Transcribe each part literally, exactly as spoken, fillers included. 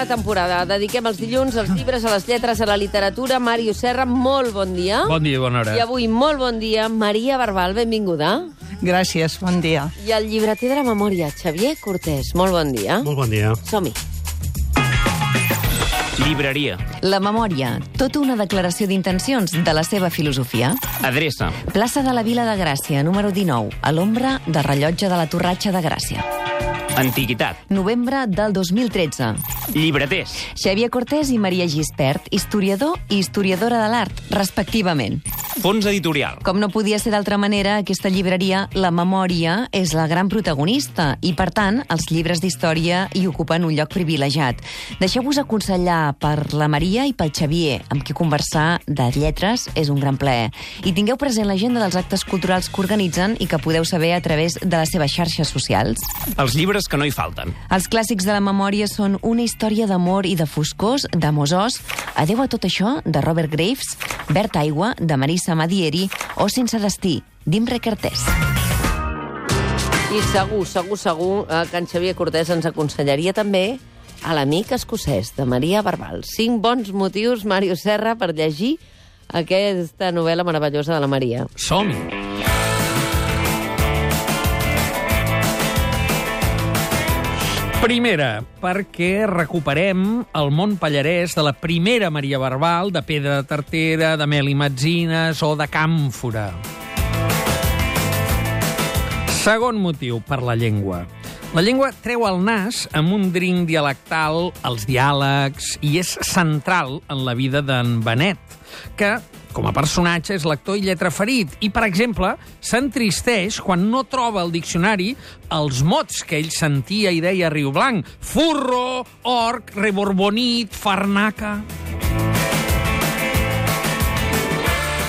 la temporada. Dediquem els dilluns als llibres, a les lletres, a la literatura. Màrius Serra, molt bon dia. Bon dia, bona hora. I avui, molt bon dia, Maria Barbal, benvinguda. Gràcies, bon dia. I el llibreter de la memòria, Xavier Cortés, molt bon dia. Molt bon dia. Som-hi. Llibreria. La memòria, tota una declaració d'intencions de la seva filosofia. Adreça. Plaça de la Vila de Gràcia, número dinou, a l'ombra del rellotge de la Torratxa de Gràcia. Antiguitat. Novembre del dos mil tretze. Llibreters. Xavier Cortés i Maria Gispert, historiador i historiadora de l'art, respectivament. Fons editorial. Com no podia ser d'altra manera, aquesta llibreria, la memòria, és la gran protagonista i, per tant, els llibres d'història hi ocupen un lloc privilegiat. Deixeu-vos aconsellar per la Maria i pel Xavier, amb qui conversar de lletres és un gran plaer. I tingueu present l'agenda dels actes culturals que organitzen i que podeu saber a través de les seves xarxes socials. Els llibres que no hi falten. Els clàssics de la memòria són Una història d'amor i de foscors, d'Amos Oz, Adeu a tot això, de Robert Graves, Verd aigua, de Marisa Madieri, o Sense destí, d'Imre Kertész. I segur, segur, segur eh, que en Xavier Cortés ens aconsellaria també a l'amic escocès, de Maria Barbal. Cinc bons motius, Màrius Serra, per llegir aquesta novel·la meravellosa de la Maria. Som-hi. Primera, perquè recuperem el món pallarès de la primera Maria Barbal, de Pedra de Tartera, de Meli Metzines o de Càmfora. Segon motiu, per la llengua. La llengua treu el nas amb un drinc dialectal, els diàlegs, i és central en la vida d'en Benet, que, com a personatge, és lector i lletraferit. I, per exemple, s'entristeix quan no troba al diccionari els mots que ell sentia i deia a Riu Blanc. Furro, orc, reborbonit, farnaca...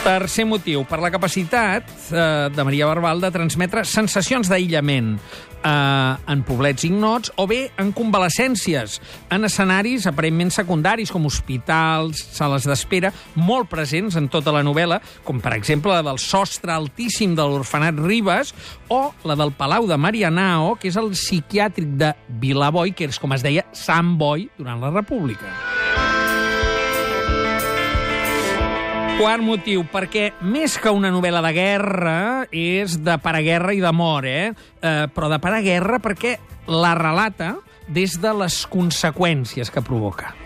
Tercer motiu, per la capacitat eh, de Maria Barbal de transmetre sensacions d'aïllament eh, en poblets ignots o bé en convalescències, en escenaris aparentment secundaris com hospitals, sales d'espera, molt presents en tota la novel·la, com per exemple la del sostre altíssim de l'orfenat Ribes o la del Palau de Marianao, que és el psiquiàtric de Vilaboi, que és com es deia Sant Boi durant la República. Quart motiu, perquè més que una novel·la de guerra és de paraguerra i d'amor, eh? eh? Però de paraguerra perquè la relata des de les conseqüències que provoca.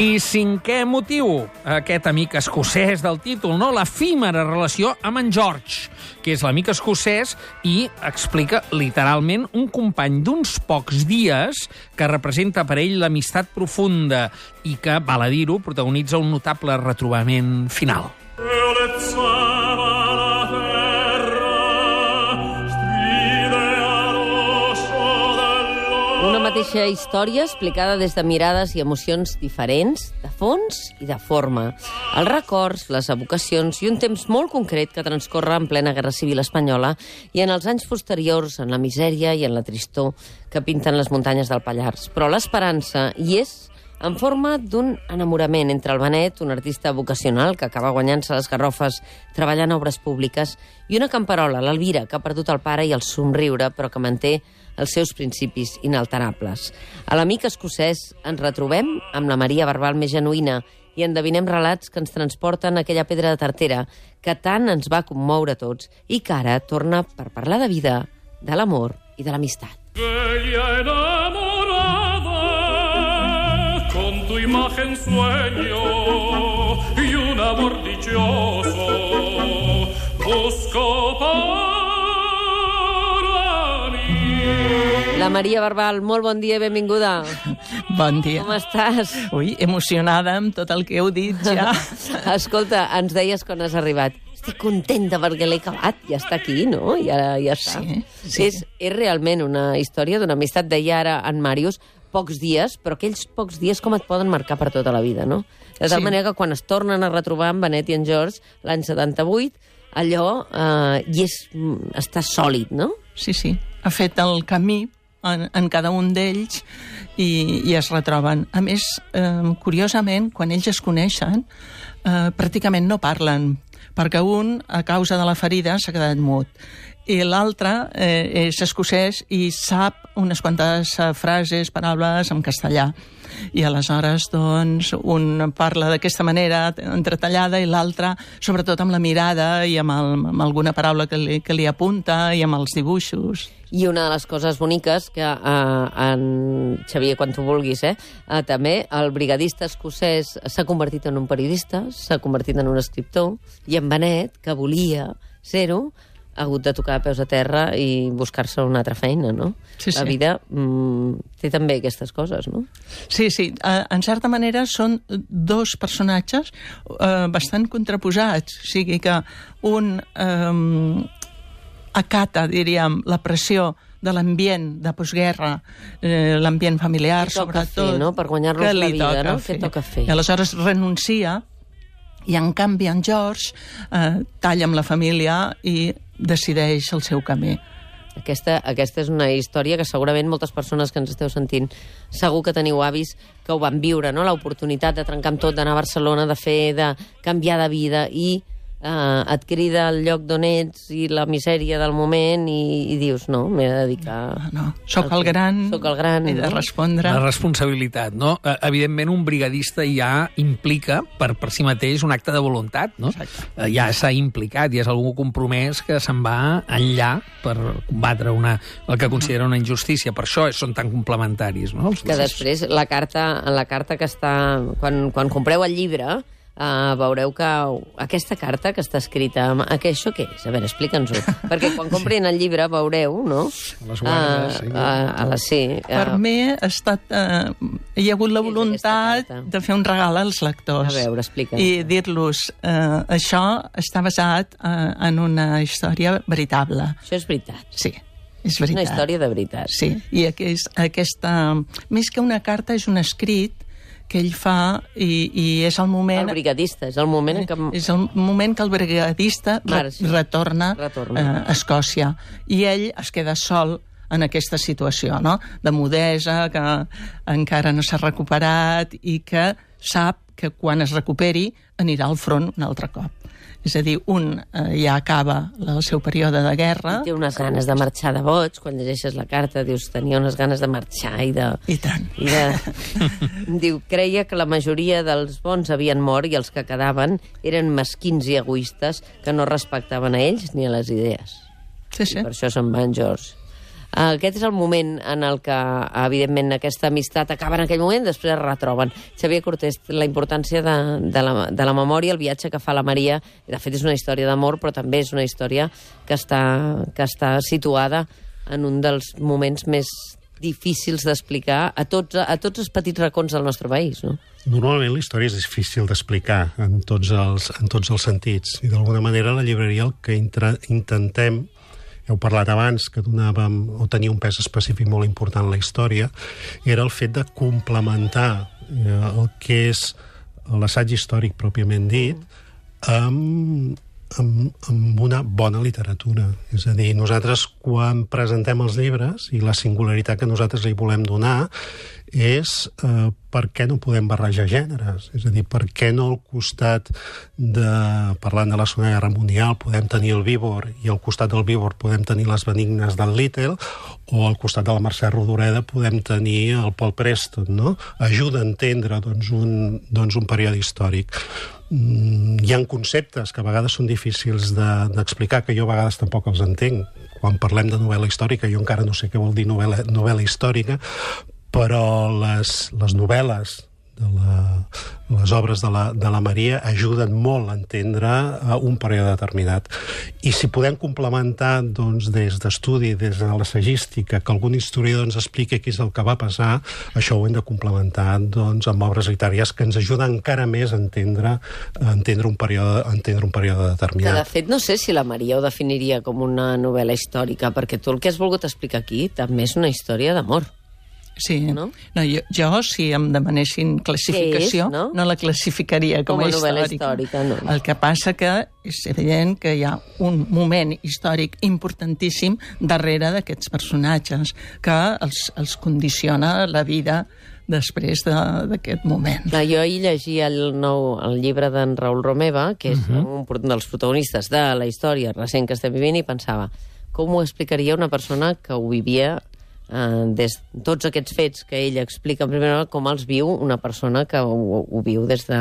I cinquè motiu, aquest amic escocès del títol, no? L'efímera relació amb en George, que és l'amic escocès i explica literalment un company d'uns pocs dies que representa per ell l'amistat profunda i que, val a dir-ho, protagonitza un notable retrobament final. Una mateixa història explicada des de mirades i emocions diferents, de fons i de forma. Els records, les evocacions i un temps molt concret que transcorre en plena Guerra Civil espanyola i en els anys posteriors, en la misèria i en la tristor que pinten les muntanyes del Pallars. Però l'esperança hi és en forma d'un enamorament entre el Benet, un artista vocacional que acaba guanyant-se les garrofes treballant a obres públiques, i una camperola, l'Elvira, que ha perdut el pare i el somriure, però que manté els seus principis inalterables. A l'amic escocès ens retrobem amb la Maria Barbal més genuïna i endevinem relats que ens transporten a aquella Pedra de Tartera que tant ens va commoure a tots i que ara torna per parlar de vida, de l'amor i de l'amistat. Con tu imagen sueño y un amor dichoso busco para mí. La Maria Barbal, molt bon dia i benvinguda. Bon dia. Com estàs? Ui, emocionada amb tot el que heu dit ja. Escolta, ens deies quan has arribat. Estic contenta perquè l'he acabat, ja està aquí, no? Ja, ja està. Sí, sí. És, és realment una història d'una amistat, deia ara en Màrius, pocs dies, però aquells pocs dies com et poden marcar per tota la vida, no? De tal Sí. manera que quan es tornen a retrobar amb Benet i en George l'any setanta-vuit, allò eh, i és, està sòlid, no? Sí, sí. Ha fet el camí en, en cada un d'ells i, i es retroben. A més, eh, curiosament, quan ells es coneixen, eh, pràcticament no parlen, perquè un, a causa de la ferida, s'ha quedat mut. i l'altre eh, és escocès i sap unes quantes eh, frases, paraules en castellà. I aleshores, doncs, un parla d'aquesta manera entretallada i l'altre, sobretot amb la mirada i amb, el, amb alguna paraula que li, que li apunta i amb els dibuixos. I una de les coses boniques que eh, en Xavier, quan tu vulguis, eh, eh, també el brigadista escocès s'ha convertit en un periodista, s'ha convertit en un escriptor, i en Benet, que volia ser-ho, ha hagut de tocar a peus a terra i buscar-se una altra feina, no? Sí, sí. La vida mm, té també aquestes coses, no? Sí, sí. Uh, en certa manera són dos personatges uh, bastant contraposats. O sigui que un um, acata, diríem, la pressió de l'ambient de postguerra, eh, l'ambient familiar, Què toca sobretot. fer, no? Per guanyar-nos Què la li vida, toca no? Què toca fer? I aleshores renuncia, i en canvi en George eh, talla amb la família i decideix el seu camí. Aquesta, aquesta és una història que segurament moltes persones que ens esteu sentint segur que teniu avis que ho van viure, no? L'oportunitat de trencar amb tot, d'anar a Barcelona, de fer, de canviar de vida i eh, et crida el lloc d'on ets i la misèria del moment i, i dius, no, m'he de dedicar... No, soc el gran, soc el gran, he de no? respondre. La responsabilitat, no? Eh, Evidentment, un brigadista ja implica per, per si mateix un acte de voluntat, no? Eh, Ja s'ha implicat, ja és algú compromès que se'n va enllà per combatre una, el que considera una injustícia. Per això són tan complementaris, no? Que després, la carta, en la carta que està... Quan, quan compreu el llibre, Uh, veureu que aquesta carta que està escrita... Uh, que això què és? A veure, explica'ns-ho. Perquè quan comprin el llibre veureu, no? Les guardes, sí. Uh, uh, a la, sí. Uh, Per mi ha estat, uh, hi ha hagut la Què és voluntat aquesta carta? de fer un regal als lectors. A veure, explica'ns. I dir-los, uh, això està basat uh, en una història veritable. Això és veritat. Sí, és veritat. Una història de veritat. Sí, i aquest, aquesta... Més que una carta, és un escrit que ell fa i, i és el moment... El brigadista, és el moment en què... És el moment que el brigadista re Marx. retorna, Retorna. Eh, a Escòcia. I ell es queda sol en aquesta situació, no?, de mudesa, que encara no s'ha recuperat i que sap que quan es recuperi anirà al front un altre cop. És a dir, un eh, ja acaba el seu període de guerra... Té unes ganes de marxar de boig, quan llegeixes la carta dius, tenia unes ganes de marxar i de... I tant. I de... Diu, creia que la majoria dels bons havien mort i els que quedaven eren mesquins i egoistes que no respectaven a ells ni a les idees. Sí, sí. I per això se'n va en George. Aquest és el moment en el que, evidentment, aquesta amistat acaba en aquell moment, després es retroben. Xavier Cortés, la importància de, de, la, de la memòria, el viatge que fa la Maria, de fet és una història d'amor, però també és una història que està, que està situada en un dels moments més difícils d'explicar a tots, a tots els petits racons del nostre país, no? Normalment la història és difícil d'explicar en, tots els, en tots els sentits, i d'alguna manera la llibreria el que intra, intentem, heu parlat abans que donàvem o tenia un pes específic molt important en la història, era el fet de complementar eh, el que és l'assaig històric pròpiament dit amb, amb, amb una bona literatura. És a dir, nosaltres quan presentem els llibres i la singularitat que nosaltres li volem donar és eh, per què no podem barrejar gèneres? És a dir, per què no al costat de, parlant de la Segona Guerra Mundial, podem tenir el Víbor i al costat del Víbor podem tenir les benignes del Little, o al costat de la Mercè Rodoreda podem tenir el Paul Preston, no? Ajuda a entendre doncs, un, doncs, un període històric. Mm, hi ha conceptes que a vegades són difícils d'explicar, de, que jo a vegades tampoc els entenc. Quan parlem de novel·la històrica, jo encara no sé què vol dir novel·la, novel·la històrica, però les, les novel·les, de la, les obres de la, de la Maria ajuden molt a entendre un període determinat. I si podem complementar doncs, des d'estudi, des de l'assagística, que algun historiador ens expliqui què és el que va passar, això ho hem de complementar doncs, amb obres literàries que ens ajuden encara més a entendre, a entendre, un, període, a entendre un període determinat. Que, de fet, no sé si la Maria ho definiria com una novel·la històrica, perquè tu el que has volgut explicar aquí també és una història d'amor. Sí, no? no jo, jo, si em demanessin classificació, és, no? no la classificaria com, com a, a novel·la històrica. històrica. No. El que passa que és evident que hi ha un moment històric importantíssim darrere d'aquests personatges que els, els condiciona la vida després d'aquest moment. Clar, jo ahir llegia el, nou, el llibre d'en Raül Romeva, que és uh -huh. un dels protagonistes de la història recent que estem vivint, i pensava, com ho explicaria una persona que ho vivia eh, des de tots aquests fets que ell explica en primera hora, com els viu una persona que ho, ho viu des de,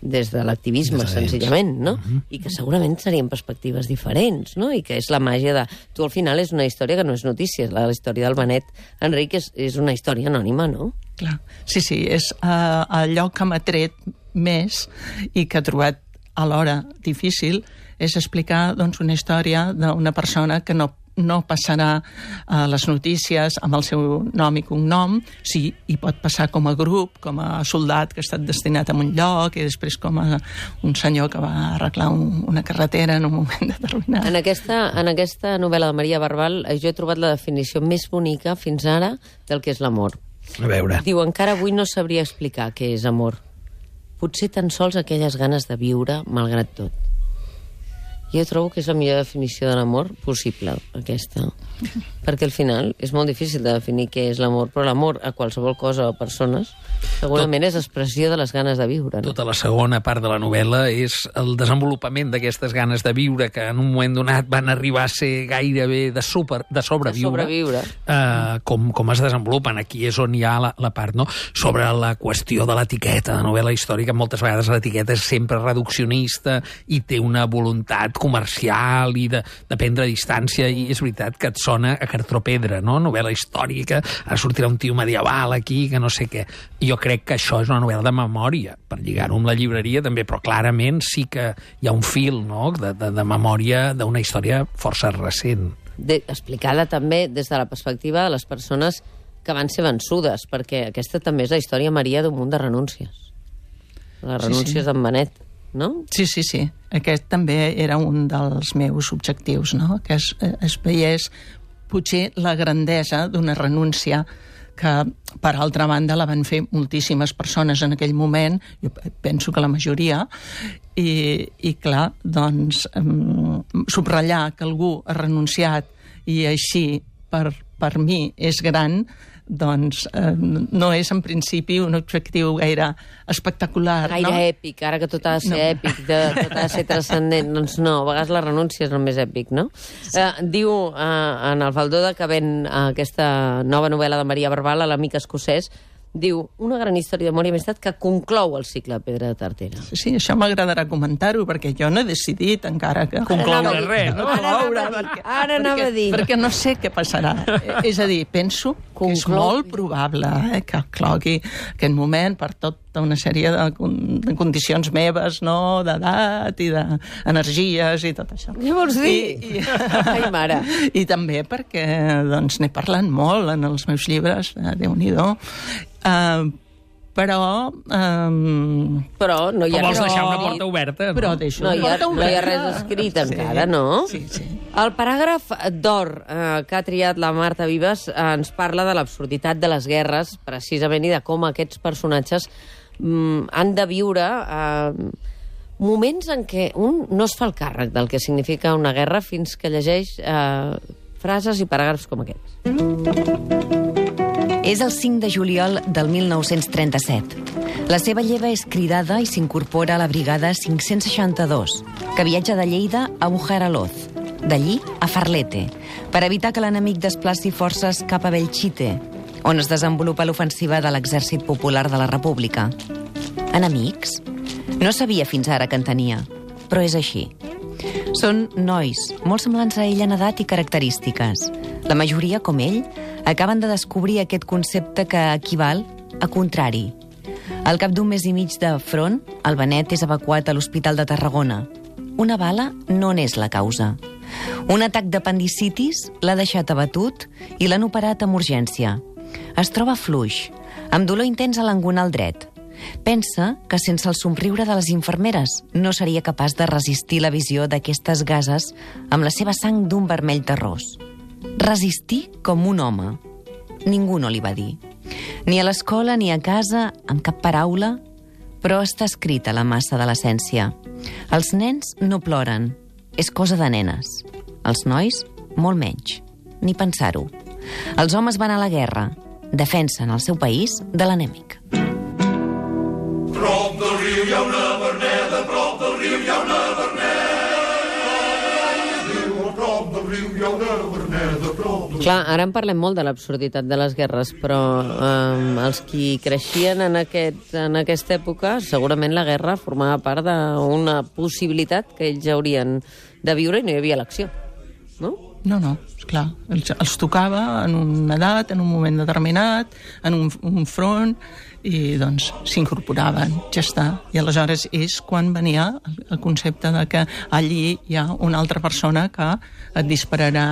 des de l'activisme, senzillament, no? Uh-huh. I que segurament serien perspectives diferents, no? I que és la màgia de... Tu, al final, és una història que no és notícia. La, la història del Benet Enric és, és una història anònima, no? Clar. Sí, sí, és uh, allò que m'ha tret més i que he trobat alhora difícil és explicar doncs, una història d'una persona que no no passarà a les notícies amb el seu nom i cognom, sí, i pot passar com a grup, com a soldat que ha estat destinat a un lloc i després com a un senyor que va arreglar un, una carretera en un moment determinat. En aquesta, en aquesta novel·la de Maria Barbal jo he trobat la definició més bonica fins ara del que és l'amor. A veure. Diu, encara avui no sabria explicar què és amor. Potser tan sols aquelles ganes de viure malgrat tot. Jo trobo que és la millor definició de l'amor possible, aquesta. Perquè al final és molt difícil de definir què és l'amor, però l'amor a qualsevol cosa o persones segurament Tot, és expressió de les ganes de viure. No? Tota la segona part de la novel·la és el desenvolupament d'aquestes ganes de viure que en un moment donat van arribar a ser gairebé de, super, de sobreviure. De sobreviure. Uh, com, com es desenvolupen. Aquí és on hi ha la, la part, no? Sobre la qüestió de l'etiqueta de novel·la històrica. Moltes vegades l'etiqueta és sempre reduccionista i té una voluntat comercial i de, de prendre distància, i és veritat que et sona a cartropedra, no? Novel·la històrica, ara sortirà un tio medieval aquí, que no sé què. Jo crec que això és una novel·la de memòria, per lligar-ho amb la llibreria també, però clarament sí que hi ha un fil, no?, de, de, de memòria d'una història força recent. De, explicada també des de la perspectiva de les persones que van ser vençudes, perquè aquesta també és la història, Maria, d'un munt de renúncies. Les renúncies sí, sí. d'en Benet. No? Sí, sí, sí. Aquest també era un dels meus objectius, no? Que es, es veiés potser la grandesa d'una renúncia que, per altra banda, la van fer moltíssimes persones en aquell moment, jo penso que la majoria, i, i clar, doncs, um, subratllar que algú ha renunciat i així, per, per mi, és gran, doncs eh, no és en principi un objectiu gaire espectacular. Gaire no? èpic, ara que tot ha de ser no. èpic, de, tot ha de ser transcendent. Doncs no, a vegades la renúncia és el més èpic, no? Sí. Eh, diu eh, en el Faldó de Cabent, eh, aquesta nova novel·la de Maria Barbal, l'amic escocès, diu, una gran història d'amor i amistat que conclou el cicle de Pedra de Tartera. Sí, sí, això m'agradarà comentar-ho, perquè jo no he decidit encara que... Concloure res, no? Ara anava a dir. Ara anava a dir. Perquè no sé què passarà. És a dir, penso que és molt probable eh, que clogui aquest moment per tota una sèrie de, de condicions meves, no?, d'edat i d'energies i tot això. Què vols dir? I, i, Ai, mare. I també perquè doncs, n'he parlat molt en els meus llibres, eh, Déu-n'hi-do. Uh, però um, però no hi ha vols res deixar una porta oberta, no? Però deixo no, hi ha, porta no hi ha res escrit sí, encara, no? Sí, sí. El paràgraf d'or eh, que ha triat la Marta Vives eh, ens parla de l'absurditat de les guerres, precisament, i de com aquests personatges mm, han de viure eh, moments en què un no es fa el càrrec del que significa una guerra fins que llegeix eh, frases i paràgrafs com aquests. És el cinc de juliol del mil nou-cents trenta-set. La seva lleva és cridada i s'incorpora a la brigada cinc-cents seixanta-dos, que viatja de Lleida a Bujaraloz, d'allí a Farlete, per evitar que l'enemic desplaci forces cap a Belchite, on es desenvolupa l'ofensiva de l'Exèrcit Popular de la República. Enemics? No sabia fins ara que en tenia, però és així. Són nois, molt semblants a ell en edat i característiques. La majoria, com ell, acaben de descobrir aquest concepte que equival a contrari. Al cap d'un mes i mig de front, el Benet és evacuat a l'Hospital de Tarragona. Una bala no n'és la causa. Un atac d'apendicitis l'ha deixat abatut i l'han operat amb urgència. Es troba fluix, amb dolor intens a l'engonal dret. Pensa que sense el somriure de les infermeres no seria capaç de resistir la visió d'aquestes gases amb la seva sang d'un vermell terrós. Resistir com un home. Ningú no li va dir. Ni a l'escola ni a casa, amb cap paraula, però està escrit a la massa de l'essència. Els nens no ploren, és cosa de nenes. Els nois, molt menys. Ni pensar-ho. Els homes van a la guerra, defensen el seu país de l'enemic. Prop del riu hi ha una verneda, prop del riu hi ha una verneda. Prop del riu hi ha Clar, ara en parlem molt de l'absurditat de les guerres, però eh, els qui creixien en, aquest, en aquesta època, segurament la guerra formava part d'una possibilitat que ells haurien de viure i no hi havia elecció, no? No, no, esclar, els, els tocava en una edat, en un moment determinat, en un, un front, i doncs s'incorporaven, ja està. I aleshores és quan venia el, el concepte de que allí hi ha una altra persona que et dispararà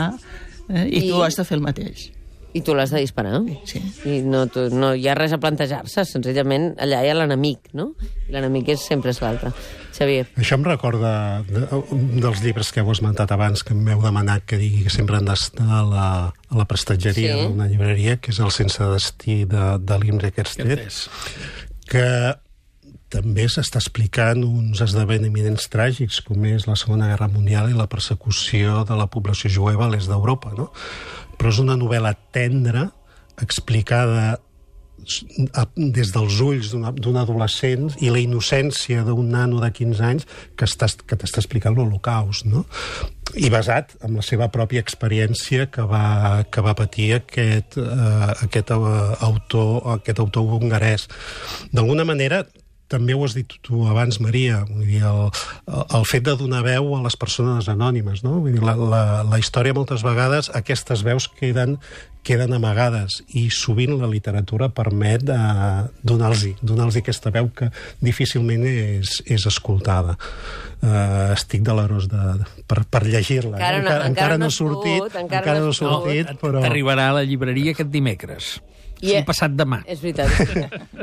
eh, i, I tu has de fer el mateix. I tu l'has de disparar. Sí. I no, tu, no hi ha res a plantejar-se, senzillament allà hi ha l'enemic, no? I l'enemic és sempre és l'altre. Xavier. Això em recorda de, dels llibres que heu esmentat abans, que m'heu demanat que digui que sempre han d'estar a la, a la prestatgeria sí. d'una llibreria, que és el Sense destí de, de l'Imre Kertész, que també s'està explicant uns esdeveniments tràgics, com és la Segona Guerra Mundial i la persecució de la població jueva a l'est d'Europa, no? Però és una novel·la tendra, explicada des dels ulls d'un adolescent i la innocència d'un nano de quinze anys que, està, que t'està explicant l'Holocaust, no? I basat en la seva pròpia experiència que va, que va patir aquest, uh, aquest, uh, autor, aquest autor hongarès. D'alguna manera, també ho has dit tu abans, Maria, vull dir, el, el fet de donar veu a les persones anònimes, no? Vull dir, la, la, la història moltes vegades, aquestes veus queden, queden amagades i sovint la literatura permet uh, donar-los donar-los aquesta veu que difícilment és, és escoltada. Uh, estic delerós de, de, per, per llegir-la. Encara no, encara, encara no ha sortit, encara, encara no ha sortit, no, però... T'arribarà a la llibreria aquest dimecres. I un passat demà. És veritat.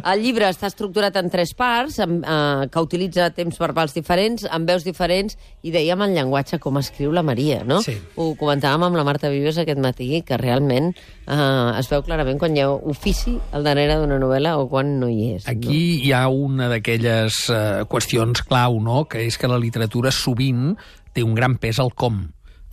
El llibre està estructurat en tres parts, amb, eh, que utilitza temps verbals diferents, amb veus diferents, i dèiem el llenguatge com escriu la Maria, no? Sí. Ho comentàvem amb la Marta Vives aquest matí, que realment eh, es veu clarament quan hi ha ofici al darrere d'una novel·la o quan no hi és. Aquí no? hi ha una d'aquelles eh, qüestions clau, no?, que és que la literatura sovint té un gran pes al com.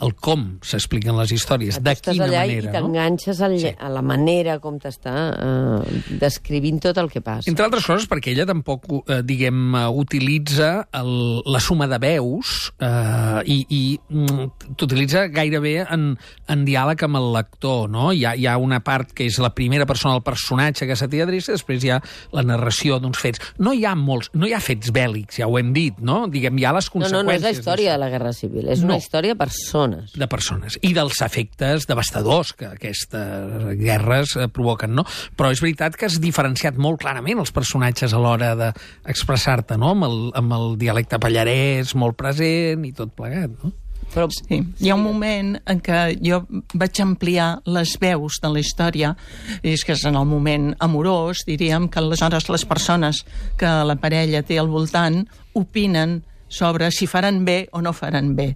El com s'expliquen les històries, de quina allà manera. I t'enganxes no? Sí. a la manera com t'està eh, descrivint tot el que passa. Entre altres coses, perquè ella tampoc, eh, diguem, eh, utilitza el, la suma de veus eh, i, i mm, t'utilitza gairebé en, en diàleg amb el lector, no? Hi ha, hi ha una part que és la primera persona del personatge que se t'hi adreça, després hi ha la narració d'uns fets. No hi ha molts, no hi ha fets bèl·lics, ja ho hem dit, no? Diguem, hi ha les conseqüències. No, no, no és la història de la Guerra Civil, és una no. història de persones. de persones i dels efectes devastadors que aquestes guerres eh, provoquen, no? Però és veritat que has diferenciat molt clarament els personatges a l'hora d'expressar-te, no? Amb el, amb el dialecte pallarès molt present i tot plegat, no? Però sí, hi ha un moment en què jo vaig ampliar les veus de la història, i és que és en el moment amorós, diríem que aleshores les persones que la parella té al voltant opinen sobre si faran bé o no faran bé.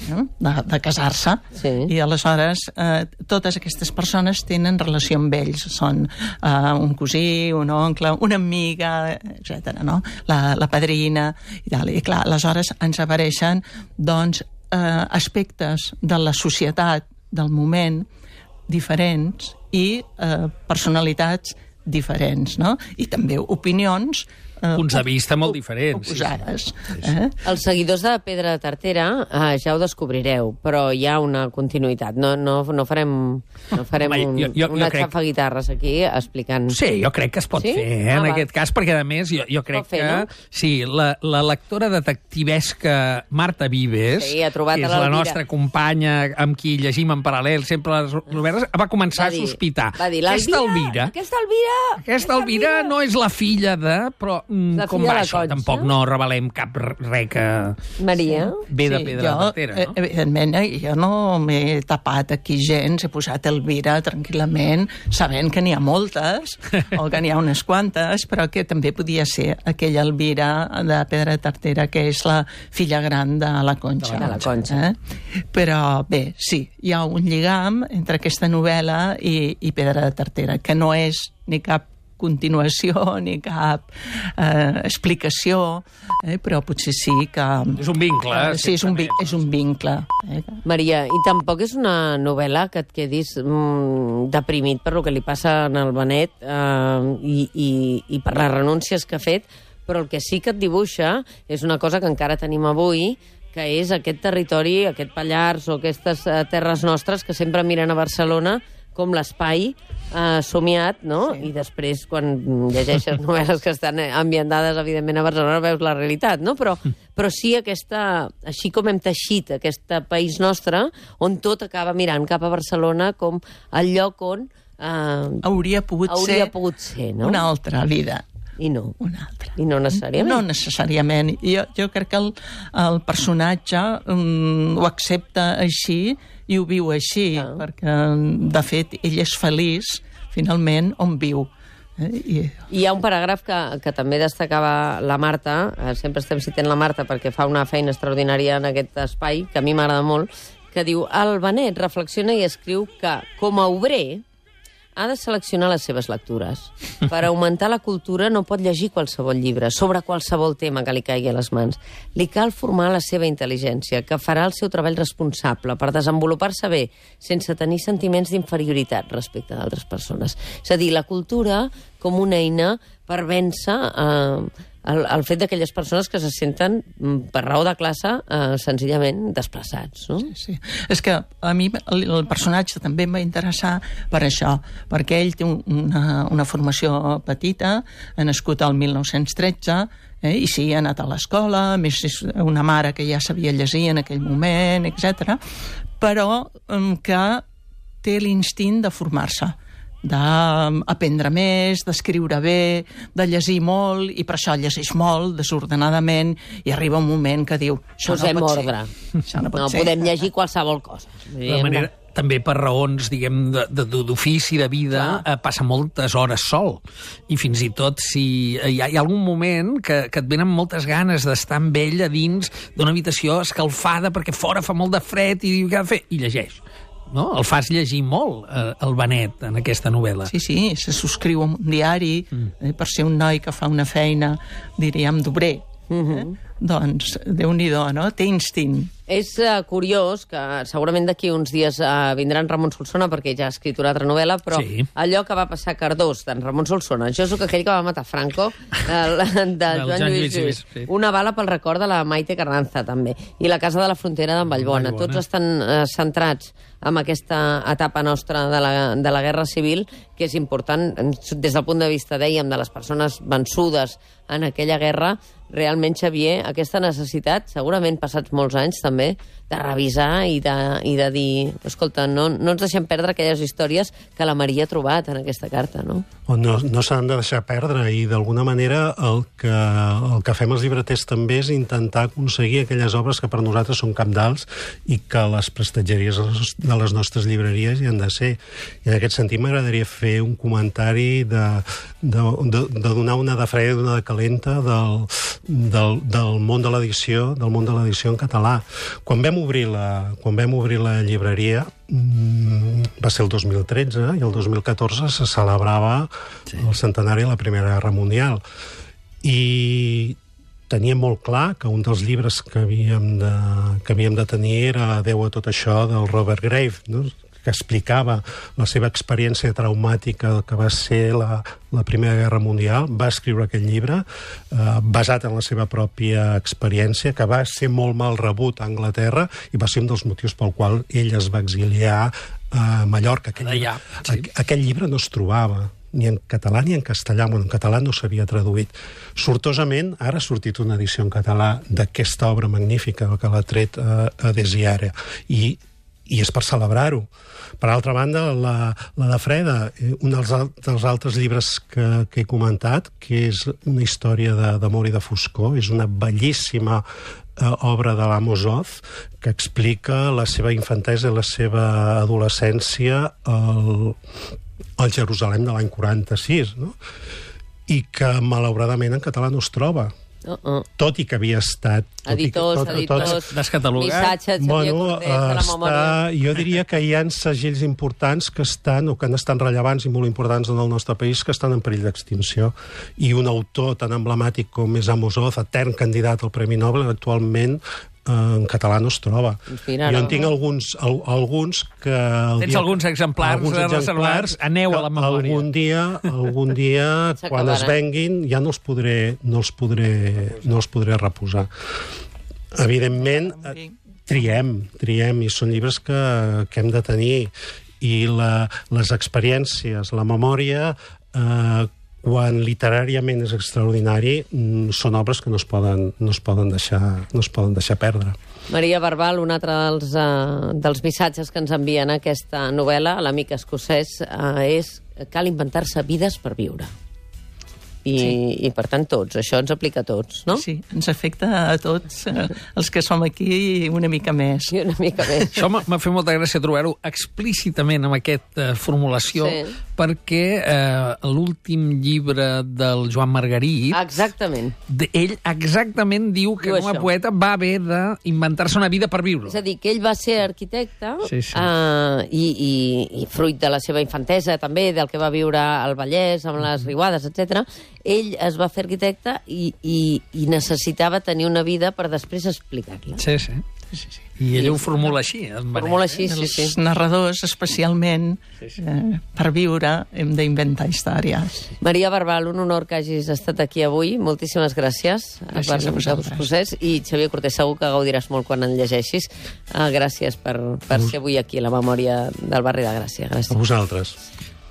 No? De, de casar-se, sí. I aleshores eh, totes aquestes persones tenen relació amb ells, són eh, un cosí, un oncle, una amiga, etcètera, no? La, la padrina i tal, i clar, aleshores ens apareixen doncs eh, aspectes de la societat del moment diferents i eh, personalitats diferents, no? I també opinions eh, punts de vista molt diferents. Oposades. Eh? Els seguidors de Pedra de Tartera eh, ja ho descobrireu, però hi ha una continuïtat. No, no, no farem, no farem Home, un, jo- jo- una jo crec- xafaguitarres aquí explicant... Sí, jo crec que es pot Sí? fer, eh, Ah, en va. aquest cas, perquè, a més, jo, jo crec pot fer, que... no? Sí, la, la lectora detectivesca Marta Vives, Sí, ha trobat que a és la l'Elvira. nostra companya amb qui llegim en paral·lel sempre les novel·les, va començar Va dir- a sospitar. Va dir, Aquesta l'Elvira... Elvira... Aquesta Elvira... Aquesta Elvira no és la filla de... Però mm, La com filla va de la això? Conxa. Tampoc no revelem cap res que Maria... ve de pedra jo, de Tartera, no? eh, evidentment, eh, jo no m'he tapat aquí gens, he posat Elvira tranquil·lament, sabent que n'hi ha moltes, o que n'hi ha unes quantes, però que també podia ser aquella Elvira de Pedra de Tartera, que és la filla gran de la Conxa. De la Conxa. Eh? Però bé, sí, hi ha un lligam entre aquesta novel·la i, i Pedra de Tartera, que no és ni cap continuació ni cap eh, explicació, eh, però potser sí que... És un vincle, Eh, sí, és un, vi- certament. és un vincle. Eh? Maria, i tampoc és una novel·la que et quedis mm, deprimit per lo que li passa en el Benet eh, i, i, i per les renúncies que ha fet, però el que sí que et dibuixa és una cosa que encara tenim avui, que és aquest territori, aquest Pallars o aquestes eh, terres nostres que sempre miren a Barcelona com l'espai eh, somiat, no? Sí. I després, quan llegeixes novel·les que estan ambientades, evidentment, a Barcelona, veus la realitat, no? Però, però sí aquesta... Així com hem teixit aquest país nostre, on tot acaba mirant cap a Barcelona com el lloc on... Eh, hauria pogut hauria ser, pogut ser no? una altra vida. I no. Una altra. I no necessàriament. No necessàriament. Jo, jo crec que el, el personatge um, ho accepta així i ho viu així, ah. perquè, de fet, ell és feliç, finalment, on viu. Eh? I... Hi ha un paràgraf que, que també destacava la Marta, eh, sempre estem citant la Marta perquè fa una feina extraordinària en aquest espai, que a mi m'agrada molt, que diu: el Benet reflexiona i escriu que, com a obrer, ha de seleccionar les seves lectures. Per augmentar la cultura no pot llegir qualsevol llibre sobre qualsevol tema que li caigui a les mans. Li cal formar la seva intel·ligència, que farà el seu treball responsable per desenvolupar-se bé, sense tenir sentiments d'inferioritat respecte d'altres persones. És a dir, la cultura com una eina per vèncer eh, el, el fet d'aquelles persones que se senten, per raó de classe, eh, senzillament desplaçats. No? Sí, sí. És que a mi el, el personatge també em va interessar per això, perquè ell té un, una, una formació petita, ha nascut al mil nou-cents tretze, eh, i sí, ha anat a l'escola, a més és una mare que ja sabia llegir en aquell moment, etcètera, però eh, que té l'instint de formar-se, d'aprendre més, d'escriure bé, de llegir molt, i per això llegeix molt, desordenadament, i arriba un moment que diu: això Posem no pot ordre. ser. Això no pot no ser. podem llegir qualsevol cosa. De manera, també per raons, diguem, d'ofici, de, de vida, eh, passa moltes hores sol. I fins i tot si hi ha, hi ha algun moment que, que et venen moltes ganes d'estar amb ell a dins d'una habitació escalfada perquè fora fa molt de fred i diu què ha de fer? I llegeix. No? El fas llegir molt, eh, el Benet, en aquesta novel·la. Sí, sí, se subscriu a un diari, mm. eh, per ser un noi que fa una feina, diríem, d'obrer. Mm-hmm. eh? Doncs, Déu-n'hi-do, no? Té instint. És uh, curiós que segurament d'aquí uns dies uh, vindrà en Ramon Solsona, perquè ja ha escrit una altra novel·la, però sí. Allò que va passar a Cardós d'en Ramon Solsona, jo sóc aquell que va matar Franco, el, de Joan, Joan Lluís Lluís. Sí. Una bala pel record de la Maite Carranza, també. I la Casa de la Frontera d'en Vallbona. Vallbona. Tots estan uh, centrats en aquesta etapa nostra de la, de la Guerra Civil, que és important des del punt de vista, dèiem, de les persones vençudes en aquella guerra. Realment, Xavier, aquesta necessitat, segurament passats molts anys també, de revisar i de, i de dir, escolta, no, no ens deixem perdre aquelles històries que la Maria ha trobat en aquesta carta, no? O no, no s'han de deixar perdre, i d'alguna manera el que, el que fem els llibreters també és intentar aconseguir aquelles obres que per nosaltres són cabdals i que les prestatgeries de les nostres llibreries hi han de ser. I en aquest sentit m'agradaria fer un comentari de, de, de, de donar una de freda i una de calenta del, del, del món de l'edició, del món de l'edició en català. Quan vam obrir la, quan vam obrir la llibreria, mmm, va ser el dos mil tretze, i el dos mil catorze se celebrava sí. el centenari de la Primera Guerra Mundial. I teníem molt clar que un dels llibres que havíem de, que havíem de tenir era Adeu a tot això, del Robert Graves, no? Que explicava la seva experiència traumàtica que va ser la, la Primera Guerra Mundial. Va escriure aquest llibre eh, basat en la seva pròpia experiència, que va ser molt mal rebut a Anglaterra i va ser un dels motius pel qual ell es va exiliar a Mallorca. Aquest, Allà, sí. aqu aquell llibre no es trobava ni en català ni en castellà. Bueno, en català no s'havia traduït. Sortosament, ara ha sortit una edició en català d'aquesta obra magnífica que l'ha tret a, a Desiare. I i és per celebrar-ho. Per altra banda, la, la de Freda, un dels, dels altres llibres que, que he comentat, que és una història d'amor i de foscor, és una bellíssima eh, obra de l'Amos Oz, que explica la seva infantesa i la seva adolescència al, al Jerusalem de l'any quaranta-sis, no? I que, malauradament, en català no es troba. Uh -uh. Tot i que havia estat... Editors, tot, editors, tots, descatalogat. Missatges, bueno, Cordés, de la memòria. Jo diria que hi ha segells importants que estan, o que han estat rellevants i molt importants en el nostre país, que estan en perill d'extinció. I un autor tan emblemàtic com és Amos Oz, etern candidat al Premi Nobel, actualment en català no es troba. Mira, jo en no. tinc alguns, al, alguns que... Tens dia, alguns exemplars, alguns exemplars reservats, aneu a la memòria. Algun dia, algun dia quan es venguin, ja no els podré, no els podré, no els podré reposar. Evidentment, eh, triem, triem, i són llibres que, que hem de tenir. I la, les experiències, la memòria, eh, quan literàriament és extraordinari, són obres que no es poden, no es poden, deixar, no es poden deixar perdre. Maria Barbal, un altre dels, uh, dels missatges que ens envien aquesta novel·la, l'amic escocès, uh, és cal inventar-se vides per viure. I, sí. I, per tant, tots. Això ens aplica a tots, no? Sí, ens afecta a tots, eh, els que som aquí, i una mica més. I una mica més. Això m'ha fet molta gràcia trobar-ho explícitament amb aquesta formulació, sí. perquè eh, l'últim llibre del Joan Margarit... Exactament. De, ell exactament diu que diu com a això. poeta va haver d'inventar-se una vida per viure. És a dir, que ell va ser arquitecte sí, sí. Uh, i, i, i fruit de la seva infantesa també, del que va viure al Vallès, amb les riuades, etcètera, ell es va fer arquitecte i, i, i necessitava tenir una vida per després explicar-la. Sí, sí. sí, sí. I ell ho formula així. Formula així, sí, sí. Els narradors, especialment, sí, sí. Eh, per viure, hem d'inventar històries. Maria Barbal, un honor que hagis estat aquí avui. Moltíssimes gràcies. Gràcies a vosaltres. I Xavier Cortés, segur que gaudiràs molt quan en llegeixis. Uh, gràcies per, per ser avui aquí a la memòria del barri de Gràcia. Gràcies. A vosaltres.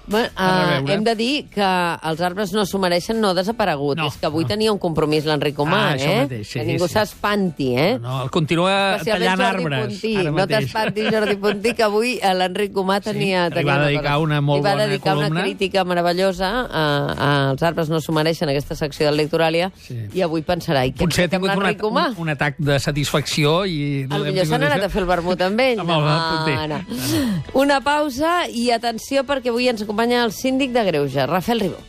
Bueno, uh, hem de dir que els arbres no s'ho mereixen, no ha desaparegut. No, és que avui no. tenia un compromís l'Enric Comà, ah, eh? Mateix, sí, que ningú sí. s'espanti, eh? No, no, el continua tallant arbres. Puntí. No t'espanti, Jordi Puntí, que avui l'Enric Comà tenia... Sí, tenia va dedicar una, una molt bona columna. va dedicar columna. una crítica meravellosa a, a Els arbres no s'ho mereixen, aquesta secció del Lectoràlia, sí. i avui pensarà, i què potser ha tingut un, un, un atac de satisfacció i... No potser s'han anat a fer el vermut amb ell. Amb el no, no. Una pausa i atenció, perquè avui ens acompanya el síndic de Greuges, Rafael Ribó.